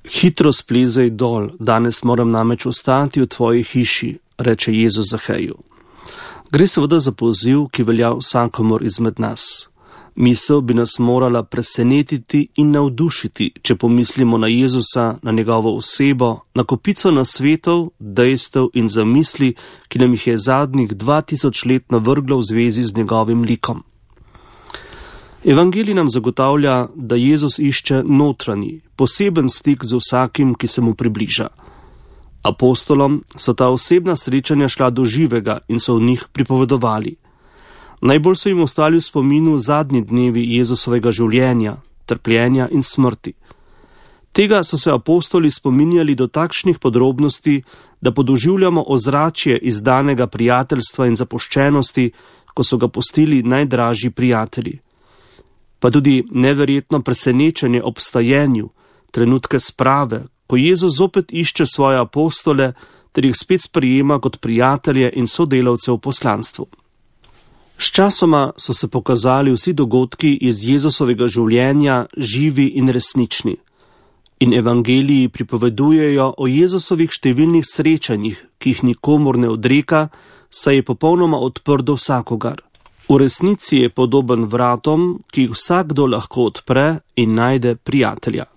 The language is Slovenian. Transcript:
Hitro splezaj dol, danes moram namreč ostati v tvoji hiši, reče Jezus Zaheju. Gre seveda za poziv, ki velja vsakomur izmed nas. Misel bi nas morala presenetiti in navdušiti, če pomislimo na Jezusa, na njegovo osebo, na kopico nasvetov, dejstev in zamisli, ki nam jih je zadnjih 2000 let navrglo v zvezi z njegovim likom. Evangelij nam zagotavlja, da Jezus išče notranji, poseben stik z vsakim, ki se mu približa. Apostolom so ta osebna srečanja šla do živega in so v njih pripovedovali. Najbolj so jim ostali v spominu zadnji dnevi Jezusovega življenja, trpljenja in smrti. Tega so se apostoli spominjali do takšnih podrobnosti, da podoživljamo ozračje izdanega prijateljstva in zapuščenosti, ko so ga pustili najdražji prijatelji. Pa tudi neverjetno presenečenje ob stajenju, trenutke sprave, ko Jezus zopet išče svoje apostole ter jih spet sprejema kot prijatelje in sodelavce v poslanstvu. Sčasoma so se pokazali vsi dogodki iz Jezusovega življenja živi in resnični. In evangeliji pripovedujejo o Jezusovih številnih srečanjih, ki jih nikomur ne odreka, saj je popolnoma odprt do vsakogar. V resnici je podoben vratom, ki jih vsakdo lahko odpre in najde prijatelja.